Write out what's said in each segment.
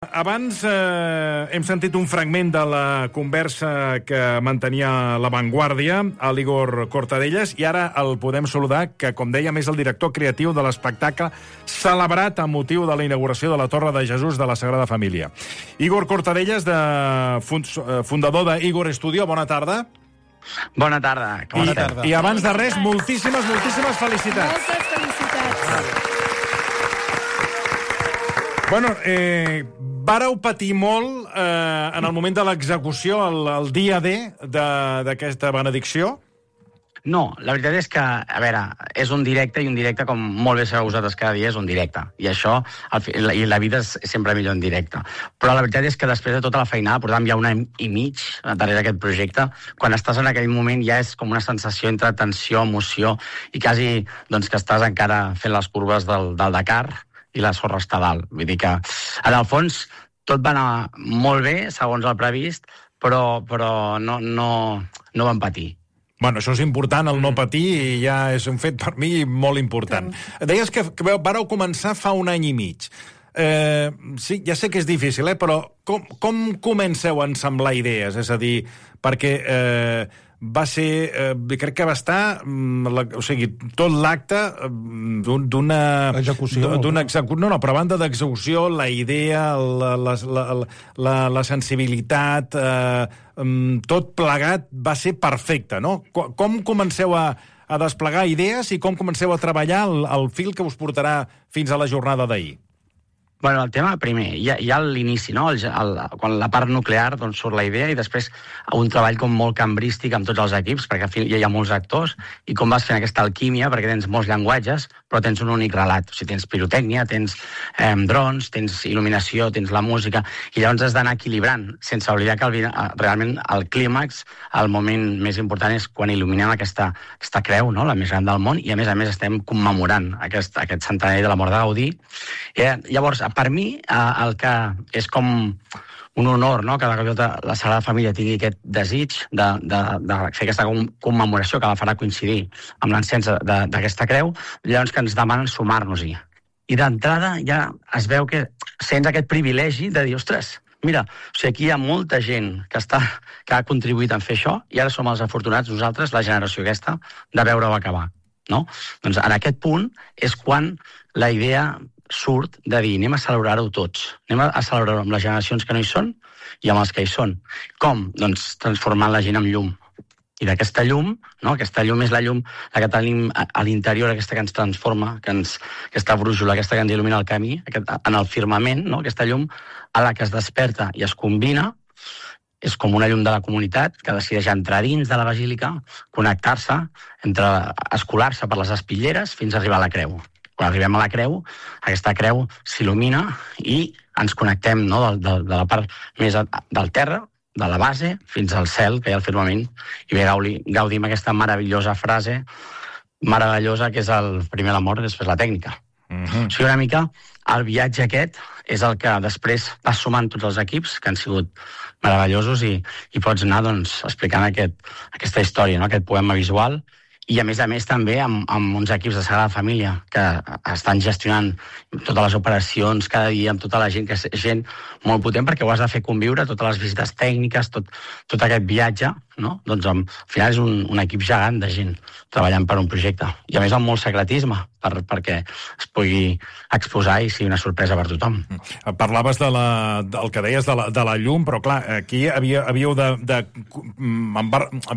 Abans hem sentit un fragment de la conversa que mantenia La Vanguardia a l'Igor Cortadelles i ara el podem saludar, que, com dèiem, és el director creatiu de l'espectacle celebrat amb motiu de la inauguració de la Torre de Jesús de la Sagrada Família. Igor Cortadelles, fundador de Igor Studio, bona tarda. Bona tarda. I abans de res, moltíssimes felicitats. Moltes felicitats. Bueno, vàreu patir molt en el moment de l'execució, el dia D d'aquesta benedicció? No, la veritat és que, a veure, és un directe, i un directe, com molt bé sabeu vosaltres, cada dia és un directe. I això, i la vida és sempre millor en directe. Però la veritat és que després de tota la feinada, portàvem ja un any i mig darrere d'aquest projecte, quan estàs en aquell moment ja és com una sensació entre tensió, emoció, i quasi doncs, que estàs encara fent les curves del Dakar, i la sorra està dalt. Vull dir que, en el fons, tot va anar molt bé, segons el previst, però no vam patir. Bueno, això és important, el no patir, i ja és un fet per mi molt important. Deies que vareu començar fa un any i mig. Sí, ja sé que és difícil, però com comenceu a ensamblar idees? És a dir, perquè va ser, crec que va estar, o sigui, tot l'acte d'una execució. No, però a banda d'execució, la idea, la sensibilitat, tot plegat va ser perfecte, no? Com comenceu a desplegar idees i com comenceu a treballar el fil que us portarà fins a la jornada d'ahir? Bueno, el tema, primer, hi ha l'inici, no? Quan la part nuclear doncs, surt la idea i després un treball com molt cambrístic amb tots els equips, perquè al final hi ha molts actors, i com vas fent aquesta alquímia, perquè tens molts llenguatges, però tens un únic relat. O sigui, tens pirotècnia, tens drons, tens il·luminació, tens la música, i llavors has d'anar equilibrant, sense oblidar que realment el clímax, el moment més important és quan il·luminem aquesta creu, no? La més gran del món, i a més estem commemorant aquest centenari de la mort de Gaudí. Llavors, per mi, el que és com un honor, no?, que la Sagrada Família tingui aquest desig de fer aquesta commemoració que la farà coincidir amb l'encens d'aquesta creu, llavors que ens demanen sumar-nos-hi. I d'entrada ja es veu que sents aquest privilegi de dir, ostres, mira, o sigui, aquí hi ha molta gent que ha contribuït a fer això i ara som els afortunats nosaltres, la generació aquesta, de veure-ho acabar, no? Doncs en aquest punt és quan la idea surt de dir, anem a celebrar-ho tots. Anem a celebrar-ho amb les generacions que no hi són i amb els que hi són. Com? Doncs transformant la gent en llum. I d'aquesta llum, no? Aquesta llum és la llum que tenim a l'interior, aquesta que ens transforma, aquesta brújula, aquesta que ens il·lumina el camí, en el firmament, no? Aquesta llum a la que es desperta i es combina, és com una llum de la comunitat que decideix entrar dins de la basílica, connectar-se, escolar-se per les espitlleres fins a arribar a la creu. Quan arribem a la creu, aquesta creu s'il·lumina i ens connectem, no?, de la part més del terra, de la base, fins al cel, que hi ha al firmament, i bé, gaudim aquesta meravellosa frase, meravellosa, que és el primer l'amor i després la tècnica. O sigui, una mica, el viatge aquest és el que després vas sumant tots els equips, que han sigut meravellosos, i pots anar doncs, explicant aquesta història, no?, aquest poema visual, i a més també amb uns equips de Sagrada Família que estan gestionant totes les operacions cada dia amb tota la gent, que és gent molt potent perquè ho has de fer conviure, totes les visites tècniques, tot aquest viatge, no? Doncs al final és un equip gegant de gent treballant per un projecte. I a més amb molt secretisme, perquè es pugui exposar i sigui una sorpresa per tothom. Parlaves del que deies de la llum, però clar, aquí havíeu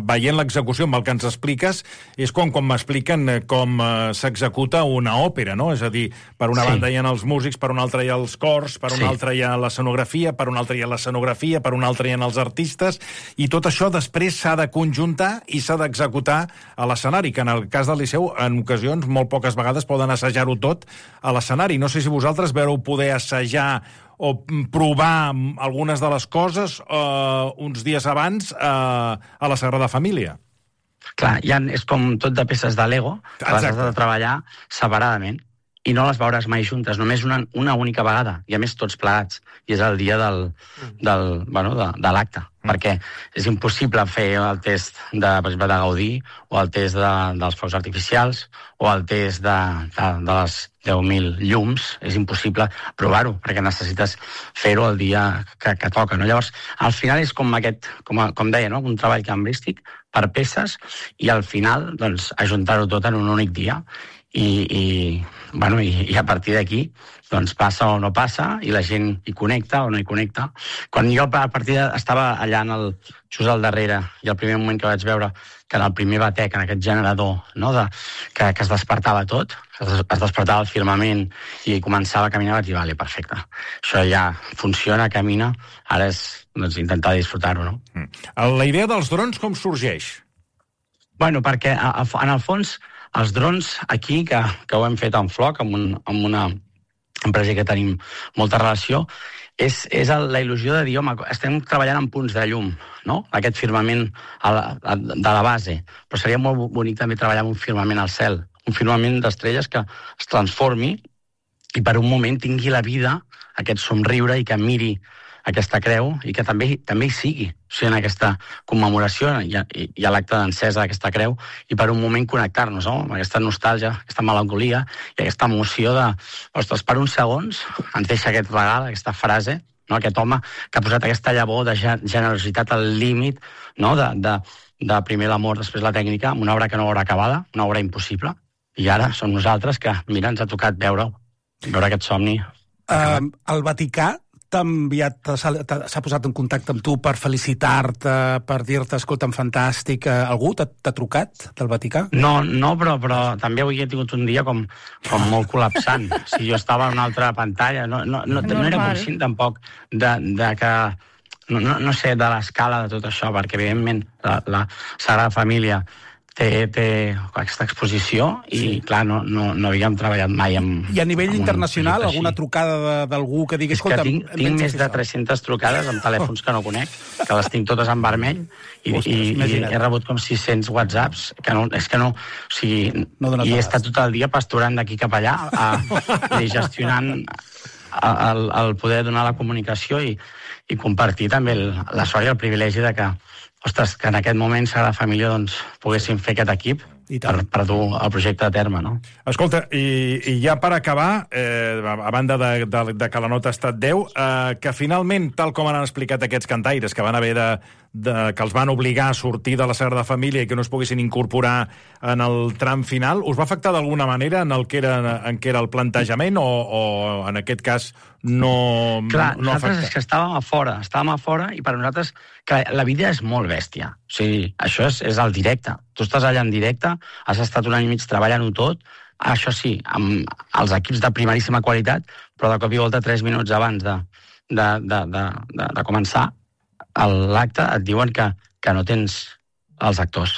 veient l'execució amb el que ens expliques, és com m'expliquen com s'executa una òpera, no? És a dir, per una banda hi ha els músics, per una altra hi ha els cors, per una altra hi ha l'escenografia, per una altra hi ha l'escenografia, per una altra hi ha els artistes, i tot això després s'ha de conjuntar i s'ha d'executar a l'escenari, que en el cas del Liceu, en ocasions, molt poques vegades poden assajar-ho tot a l'escenari. No sé si vosaltres vau poder assajar o provar algunes de les coses uns dies abans a la Sagrada Família. Clar, és com tot de peces de Lego, que les has de treballar separadament. i no les veuràs mai juntes, només una única vegada, i a més tots plegats, i és el dia de l'acte, perquè és impossible fer el test per exemple, de Gaudí, o el test dels focs artificials, o el test de les 10.000 llums, és impossible provar-ho, perquè necessites fer-ho el dia que toca, no? Llavors, al final és com deia, no? Un treball cambrístic per peces, i al final, doncs, ajuntar-ho tot en un únic dia, i a partir d'aquí doncs passa o no passa, i la gent hi connecta o no hi connecta. Quan jo a partir estava allà just al darrere, i el primer moment que vaig veure que en el primer batec, en aquest generador, no, que es despertava tot, es despertava el firmament i començava a caminar, vaig dir, vale, perfecte, això ja funciona, camina, ara és intentar disfrutar-ho, no? La idea dels drons com sorgeix? Bueno, perquè en el fons els drons aquí, que ho hem fet en Floc, amb una empresa que tenim molta relació, és la il·lusió de dir, home, estem treballant en punts de llum, no? Aquest firmament de la base, però seria molt bonic també treballar amb un firmament al cel, un firmament d'estrelles que es transformi i per un moment tingui la vida, aquest somriure, i que miri aquesta creu, i que també hi sigui, o sigui, en aquesta commemoració i a l'acte d'encesa d'aquesta creu, i per un moment connectar-nos, no? Amb aquesta nostàlgia, aquesta melancolia i aquesta emoció de, ostres, per uns segons ens deixa aquest regal, aquesta frase, no? Aquest home que ha posat aquesta llavor de generositat al límit, no? De primer l'amor, després la tècnica, amb una obra que no haurà acabada, una obra impossible, i ara som nosaltres que, mira, ens ha tocat veure aquest somni. El Vaticà s'ha posat en contacte amb tu per felicitar-te, per dir-te, escolta'm, fantàstic, algú t'ha trucat del Vaticà? No, però també avui he tingut un dia com molt col·lapsant. Si jo estava en una altra pantalla, no era conscient tampoc de que, no sé, de l'escala de tot això, perquè evidentment la Sagrada Família té aquesta exposició i, clar, no havíem treballat mai amb... I a nivell internacional, alguna trucada d'algú que digui... És que tinc més de 300 trucades amb telèfons que no conec, que les tinc totes en vermell, i he rebut com 600 whatsapps, o sigui, he estat tot el dia pasturant d'aquí cap allà, i gestionant el poder donar la comunicació i compartir també la sort i el privilegi de que, ostres, que en aquest moment Sagrada Família doncs, poguéssim fer aquest equip per dur el projecte a terme, no? Escolta, i ja per acabar, a banda de que la nota ha estat 10, que finalment, tal com han explicat aquests cantaires, que van haver que els van obligar a sortir de la Sagrada Família i que no es poguessin incorporar en el tram final, us va afectar d'alguna manera en què era el plantejament o en aquest cas no Clar, no nosaltres és que estàvem a fora i per nosaltres la vida és molt bèstia. O sigui, això és el directe. Tu estàs allà en directe, has estat un any i mig treballant-ho tot, això sí, amb els equips de primeríssima qualitat, però de cop i volta 3 minuts abans de començar l'acte et diuen que no tens els actors.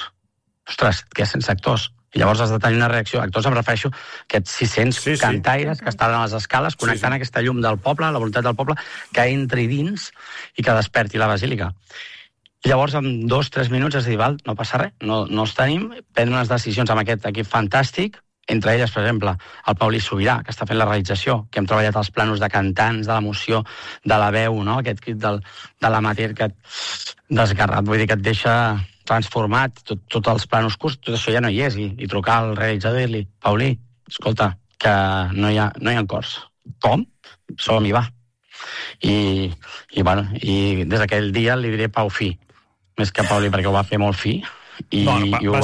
Ostres, et quedes sense actors. I llavors has de tenir una reacció. Actors em refereixo a aquests 600 cantaires que estaven a les escales connectant aquesta llum del poble, la voluntat del poble, que entri dins i que desperti la basílica. I llavors, en 2-3 minuts, has de dir, val, no passa res, no els tenim, prendre unes decisions amb aquest equip fantàstic, entre elles, per exemple, el Paulí Sobirà, que està fent la realització, que hem treballat els planos de cantants, de l'emoció, de la veu, no? Aquest crit de l'amateur que et desgarrat, vull dir que et deixa transformat, tots els planos curts, tot això ja no hi és, i trucar al realitzador i dir-li, Paulí, escolta, que no hi ha cors. Com? Som-hi, va. I des d'aquell dia li diré Pau Fi, més que Paulí, perquè ho va fer molt fi, i ho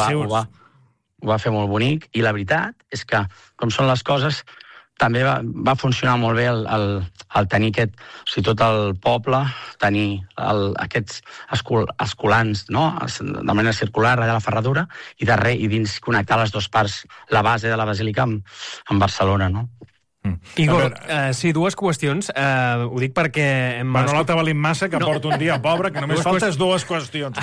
va fer molt bonic, i la veritat és que, com són les coses, també va funcionar molt bé el tenir tot el poble, tenir aquests escolans, no? De manera circular, allà a la ferradura, i dins connectar les dues parts, la base de la basílica amb Barcelona, no? Igor, sí, dues qüestions. Ho dic perquè... Bueno, l'altre valent massa, que porta un dia pobre, que només faltes dues qüestions.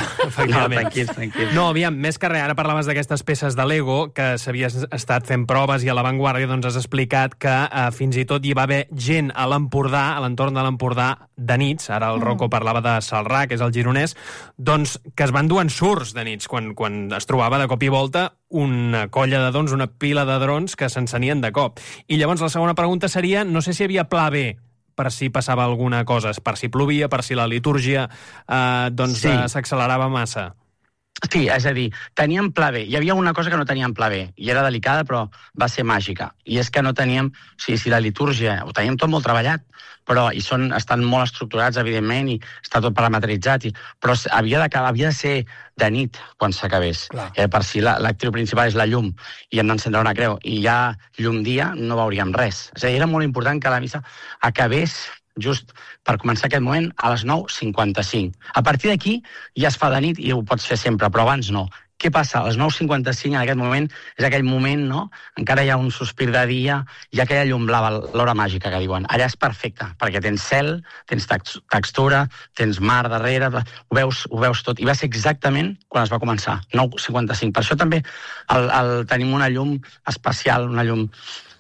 No, tranquil. No, aviam, més que res, ara parlaves d'aquestes peces de Lego, que s'havies estat fent proves i a l'avantguàrdia doncs has explicat que fins i tot hi va haver gent a l'Empordà, a l'entorn de l'Empordà, de nits, ara el Rocco parlava de Salrà, que és el gironès, doncs que es van dur en surts de nits, quan es trobava de cop i volta una colla de drons, una pila de drons que s'encenien de cop. I llavors la segona pregunta seria, no sé si hi havia pla B per si passava alguna cosa, per si plovia, per si la litúrgia s'accelerava massa. Sí, és a dir, teníem pla B. Hi havia una cosa que no teníem pla B, i era delicada, però va ser màgica. I és que no teníem... O sigui, si la litúrgia... Ho teníem tot molt treballat, però estan molt estructurats, evidentment, i està tot parametritzat, però havia de ser de nit quan s'acabés. Per si l'actriu principal és la llum i hem d'encendre una creu, i hi ha llum dia, no veuríem res. És a dir, era molt important que la missa acabés just per començar aquest moment a les 9:55. A partir d'aquí ja es fa de nit i ho pots fer sempre, però abans no. Què passa? A les 9:55 en aquest moment és aquell moment, no? Encara hi ha un sospir de dia, hi ha aquella llum blava, l'hora màgica que diuen. Allà és perfecte, perquè tens cel, tens textura, tens mar darrere, ho veus tot. I va ser exactament quan es va començar, 9:55. Per això també tenim una llum especial, una llum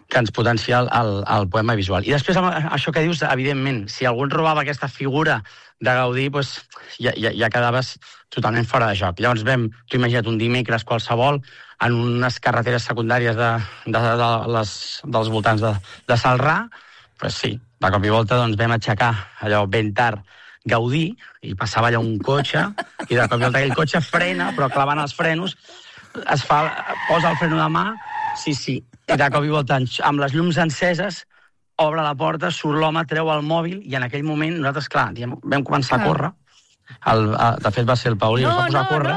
que ens potencia el poema visual. I després, això que dius, evidentment, si algú ens robava aquesta figura de Gaudí, doncs ja quedaves totalment fora de joc. Llavors tu imagina't un dimecres qualsevol en unes carreteres secundàries dels voltants de Celrà, doncs sí, de cop i volta vam aixecar allò ben tard Gaudí, i passava allà un cotxe, i de cop i volta aquell cotxe frena, però clavant els frenos, posa el freno de mà, sí, i de cop i volta, amb les llums enceses, obre la porta, surt l'home, treu el mòbil, i en aquell moment nosaltres, clar, vam començar a córrer. De fet, va ser el Paulí, es va posar a córrer.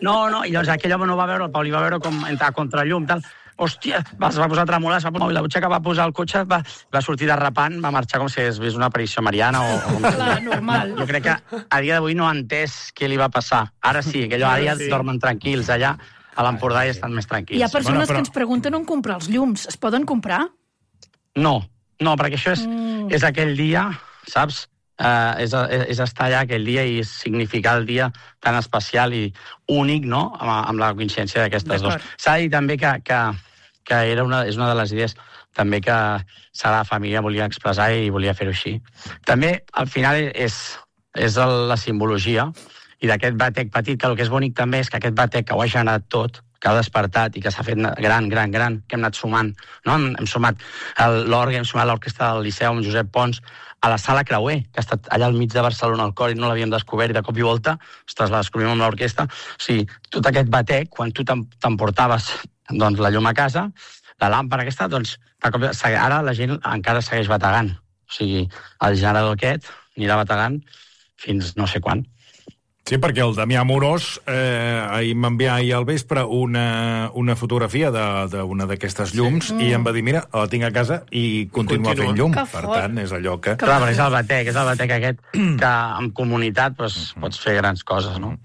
No, i llavors aquell home no va veure, el Paulí va veure com entrar a contrallum, tal. Hòstia, es va posar a tremolar, es va posar el mòbil, la butxaca va posar el cotxe, va sortir derrapant, va marxar com si hagués vist una aparició mariana o... Clar, normal. Jo crec que a dia d'avui no ha entès què li va passar. Ara sí, ara ja dormen tranquils allà, a l'Empordà i estan més tranquils. Hi ha persones que ens pregunten on comprar els llums. Es poden comprar? No, perquè això és aquell dia, saps? És estar allà aquell dia i significar el dia tan especial i únic, no?, amb la coincidència d'aquestes dues. S'ha de dir també que és una de les idees també que Sagrada Família volia expressar i volia fer-ho així. També, al final, és la simbologia i d'aquest batec petit, que el que és bonic també és que aquest batec que ho ha generat tot, que ha despertat i que s'ha fet gran, que hem anat sumant, no? Hem sumat l'orgue, hem sumat l'orquestra del Liceu amb Josep Pons, a la Sala Creuer, que ha estat allà al mig de Barcelona, al cor, i no l'havíem descobert, i de cop i volta, ostres, la descobrim amb l'orquestra. O sigui, tot aquest batec, quan tu t'emportaves la llum a casa, la làmpara aquesta, doncs, ara la gent encara segueix bategant. O sigui, el generador aquest anirà bategant fins no sé quan. Sí, perquè el Damià Amorós ahir m'envià ahir al vespre una fotografia d'una d'aquestes llums i em va dir, mira, la tinc a casa i continua fent llum. Per tant, és allò que... Clar, però és el batec aquest que en comunitat pots fer grans coses, no?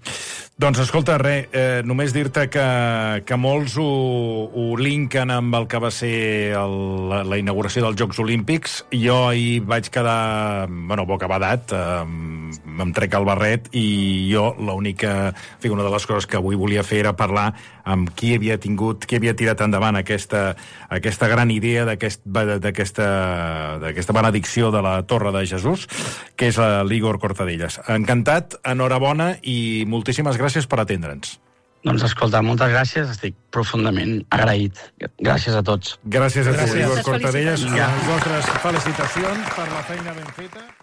Doncs escolta, només dir-te que molts ho linken amb el que va ser la inauguració dels Jocs Olímpics. Jo ahir vaig quedar, bocabadat, em trec el barret i jo l'única... una de les coses que avui volia fer era parlar amb qui havia tirat endavant aquesta gran idea d'aquesta benedicció de la Torre de Jesús, que és l'Igor Cortadellas. Encantat, enhorabona i moltíssimes gràcies per atendre'ns. Doncs escolta, moltes gràcies, estic profundament agraït. Gràcies a tots. Gràcies a tu, Igor Cortadellas. Les nostres felicitacions per la feina ben feta.